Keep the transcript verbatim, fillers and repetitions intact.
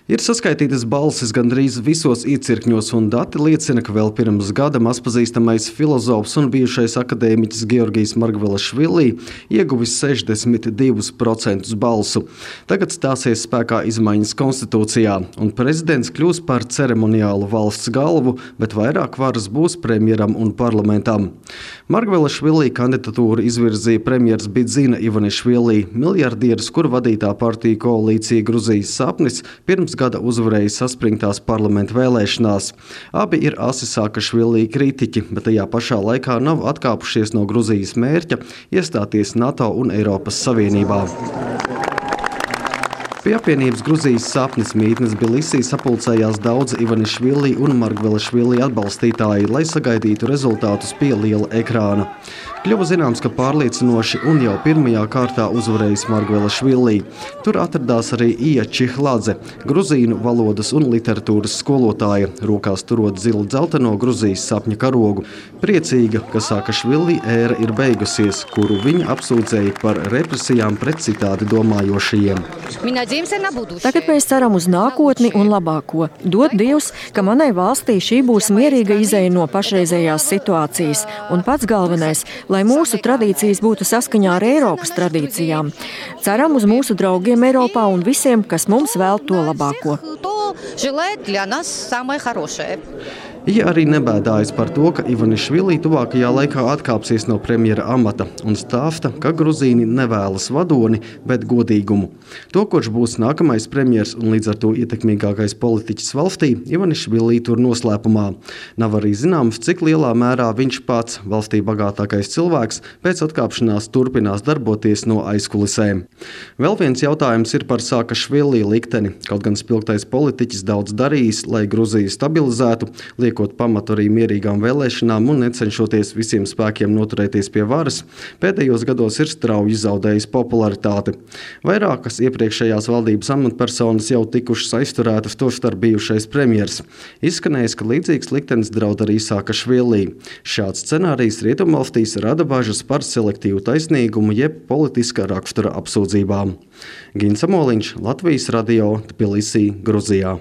Ir saskaitītas balsis gandrīz visos iecirkņos, un dati liecina, ka vēl pirms gada mazpazīstamais filozofs un bijušais akadēmiķis Georgijs Margvelašvili ieguvis sešdesmit divus procentus balsu. Tagad stāsies spēkā izmaiņas konstitūcijā, un prezidents kļūs par ceremoniālu valsts galvu, bet vairāk varas būs premjeram un parlamentam. Margvelašvili kandidatūru izvirzīja premjers Bidzina Ivanišvili, miljardieris, kuru vadītā partija koalīcija Gruzijas sapnis pirms gada uzvarēja saspringtās parlamenta vēlēšanās. Abi ir asi Saakašvili kritiķi, bet tajā pašā laikā nav atkāpušies no Gruzijas mērķa iestāties NATO un Eiropas Savienībā. Pie apvienības Gruzijas sapnis mītnes Bilisī sapulcējās daudz Ivanišvili un Margvelašvili atbalstītāji, lai sagaidītu rezultātus pie liela ekrāna. Kļuva zināms, ka pārliecinoši un jau pirmajā kārtā uzvarējis Margvelašvili. Tur atradās arī Ija Čihladze, gruzīnu valodas un literatūras skolotāja, rokās turot zilu dzelteno Gruzijas sapņa karogu. Priecīga, ka Saakašvili ēra ir beigusies, kuru viņa apsūdzēja par represijām pret citādi domājošajiem. Tagad mēs ceram uz nākotni un labāko. Dod Dievs, ka manai valstī šī būs mierīga izeja no pašreizējās situācijas. Un pats galvenais, lai mūsu tradīcijas būtu saskaņā ar Eiropas tradīcijām. Ceram uz mūsu draugiem Eiropā un visiem, kas mums vēl to labāko. Ja arī nebēdājas par to, ka Ivanišvili tuvākajā laikā atkāpsies no premjera amata un stāsta, ka gruzīni nevēlas vadoni, bet godīgumu. To, kurš būs nākamais premjers un līdz ar to ietekmīgākais politiķis valstī, Ivanišvili tur noslēpumā. Nav arī zināms, cik lielā mērā viņš pats, valstī bagātākais cilvēks, pēc atkāpšanās turpinās darboties no aizkulisēm. Vēl viens jautājums ir par Saakašvili likteni. Kaut gan spilgtais politiķis daudz darījis, lai Gruziju stabilizētu, liekot pamatu arī mierīgām vēlēšanām un necenšoties visiem spēkiem noturēties pie varas, pēdējos gados ir strauji zaudējis popularitāti. Vairākas iepriekšējās valdības amatpersonas jau tikušas aizturētas, tostarp bijušais premjers. Izskanējis, ka līdzīgs liktenis draud arī Saakašvili. Šāds scenārijs rietumvalstīs rada bažas par selektīvu taisnīgumu jeb politiska rakstura apsūdzībām. Gins Amoliņš, Latvijas radio, Tbilisī, Gruzijā.